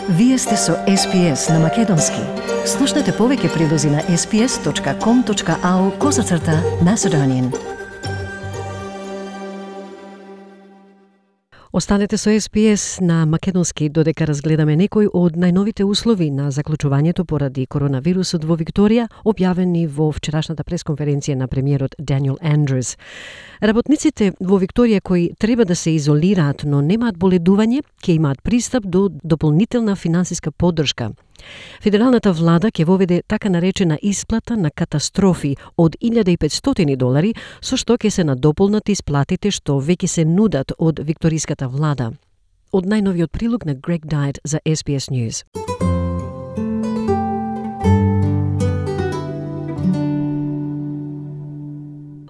Вие сте со SPS на Македонски. Слушнете повеќе прилози на sps.com.au/Macedonian. Останете со SPS на Македонски додека разгледаме некои од најновите услови на заклучувањето поради коронавирусот во Викторија, објавени во вчерашната пресконференција на премиерот Даниел Андрюс. Работниците во Викторија кои треба да се изолираат, но немаат боледување, ќе имаат пристап до дополнителна финансиска поддршка. Федералната влада ќе воведе така наречена исплата на катастрофи од $1,500, со што ќе се надополнат исплатите што веќе се нудат од викториската влада. Од најновиот прилог на Грег Дайт за SBS News.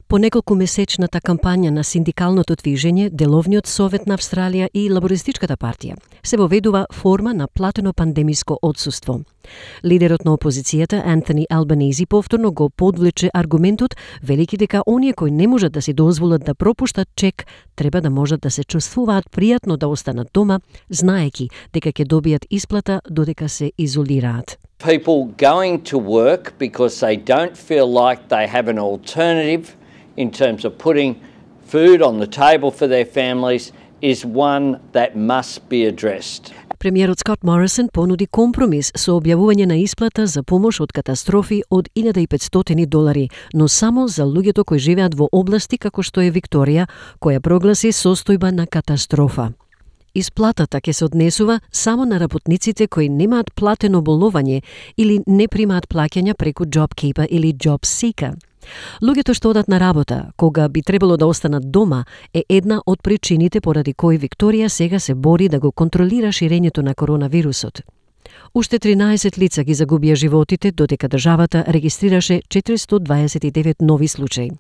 По неколку месечната кампања на синдикалното движење, Деловниот совет на Австралија и Лабористичката партија се воведува форма на платено пандемиско отсуство. Лидерот на опозицијата Антони Албанези повторно го подвлече аргументот, велики дека оние кои не можат да си дозволат да пропуштат чек, треба да можат да се чувствуваат пријатно да останат дома, знаеки дека ќе добијат исплата додека се изолираат. People going to work because they don't feel like they have an alternative in terms of putting food on the table for their families is one that must be addressed. Премиерот Скот Морисон понуди компромис со објавување на исплата за помош од катастрофи од $1,500, но само за луѓето кои живеат во области како што е Викторија, која прогласи состојба на катастрофа. Исплатата ќе се однесува само на работниците кои немаат платено боловање или не примаат плаќања преку JobKeeper или JobSeeker. Луѓето што одат на работа, кога би требало да останат дома, е една од причините поради кои Викторија сега се бори да го контролира ширењето на коронавирусот. Уште 13 лица ги загубија животите, додека државата регистрираше 429 нови случаи.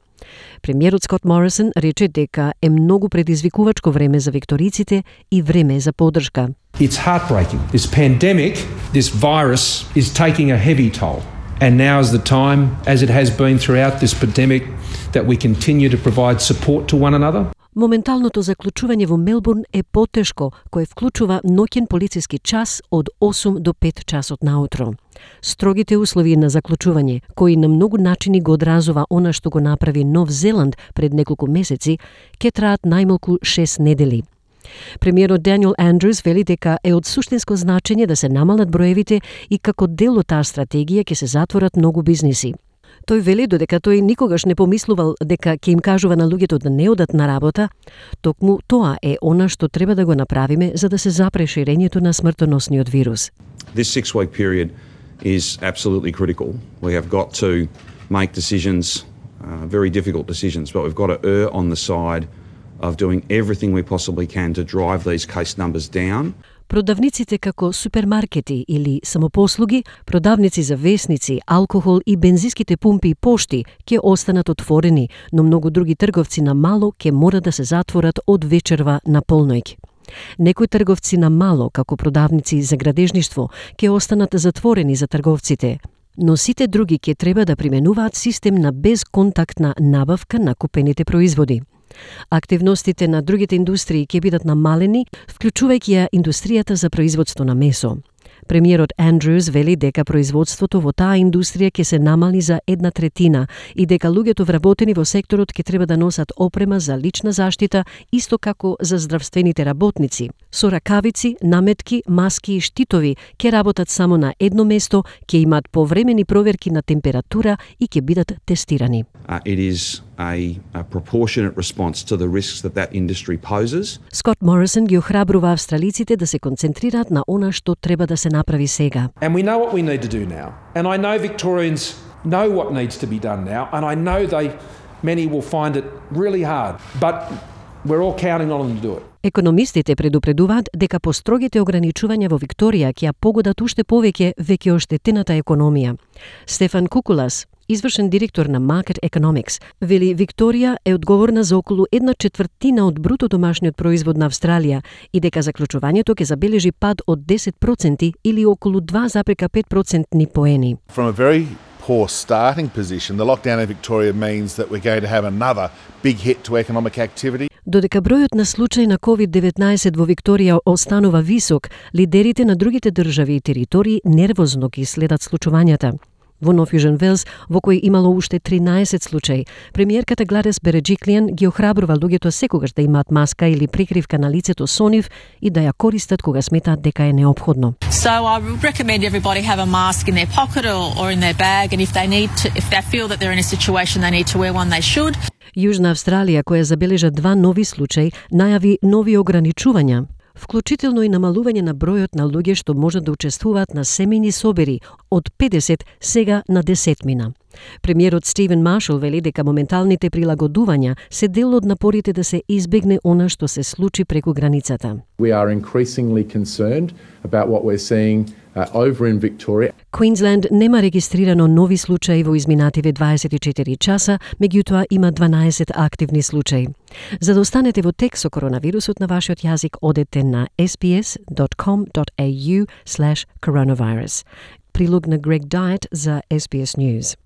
Премиерот Скот Морисон рече дека е многу предизвикувачко време за викториците и време за поддршка. It's heartbreaking. This pandemic, this virus is taking a heavy toll. And now is the time, as it has been throughout this pandemic, that we continue to provide support to one another. Моменталното заклучување во Мелбурн е потешко, кое вклучува ноќен полициски час од 8 до 5 часот наутро. Строгите услови на заклучување, кои на многу начини го одразува она што го направи Нов Зеланд пред неколку месеци, ќе траат најмалку 6 недели. Премиерот Даниел Андрюс вели дека е од суштинско значење да се намалат броевите и како дел од таа стратегија ќе се затворат многу бизниси. Тој вели додека тој никогаш не помислувал дека ќе им кажува на луѓето да не одат на работа, токму тоа е она што треба да го направиме за да се запре ширењето на смртоносниот вирус. This 6-week period is absolutely critical. We have got to make decisions, very difficult decisions, but we've got to err on the side of doing everything we possibly can to drive these case numbers down. Продавниците како супермаркети или самопослуги, продавници за весници, алкохол и бензинските пумпи и пошти ќе останат отворени, но многу други трговци на мало ќе мора да се затворат од вечерва на полноќ. Некои трговци на мало, како продавници за градежништво, ќе останат затворени за трговците, но сите други ќе треба да применуваат систем на безконтактна набавка на купените производи. Активностите на другите индустрии ќе бидат намалени, вклучувајќи ја индустријата за производство на месо. Премиерот Андрюс вели дека производството во таа индустрија ќе се намали за 1/3 и дека луѓето вработени во секторот ќе треба да носат опрема за лична заштита, исто како за здравствените работници. Со ракавици, наметки, маски и штитови ќе работат само на едно место, ќе имаат повремени проверки на температура и ќе бидат тестирани. It is a proportionate response to the risks that industry poses. Скот Морисон ги охрабрува австралиците да се концентрираат на она што треба да се направи сега. And we know what we need to do now. And I know Victorians know what needs to be done now, and I know many will find it really hard, but we're all counting on them to do it. Економистите предупредуваат дека построгите ограничувања во Викторија ќе ја погодат уште повеќе веќе оштетената економија. Стефан Кукулас, извршен директор на Market Economics, вели Викторија е одговорна за околу 1/4 од бруто домашниот производ на Австралија и дека заклучувањето ќе забележи пад од 10% или околу 2,5% поени. From a very poor starting position, the lockdown in Victoria means that we're going to have another big hit to economic activity. Додека бројот на случаи на COVID-19 во Викторија останува висок, лидерите на другите држави и територии нервозно ги следат случувањата. Во Нов Јужен Велс, во кој имало уште 13 случаи, премиерката Гладис Береджиклиан ги охрабрува луѓето секогаш да имаат маска или прикривка на лицето со нив и да ја користат кога сметаат дека е неопходно. So I recommend everybody have a mask in their pocket or in their bag, and if they feel that they're in a situation they need to wear one, they should. Јужна Австралија, која забележа 2 нови случаи, најави нови ограничувања, вклучително и намалување на бројот на луѓе што можат да учествуваат на семејни собери од 50 сега на 10. Премиерот Стивен Маршал вели дека моменталните прилагодувања се дел од напорите да се избегне она што се случи преку границата. We are increasingly concerned about what we're seeing over in Victoria. Квинсленд нема регистрирано нови случаи во изминативе 24 часа, меѓутоа има 12 активни случаи. За да останете во тек со коронавирусот на вашиот јазик, одете на sbs.com.au/coronavirus. Прилог на Greg Diet за SBS News.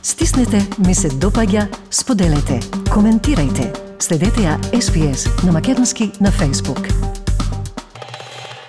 Стиснете, ми се допаѓа, споделете, коментирајте. Следете ја SBS на македонски на Facebook.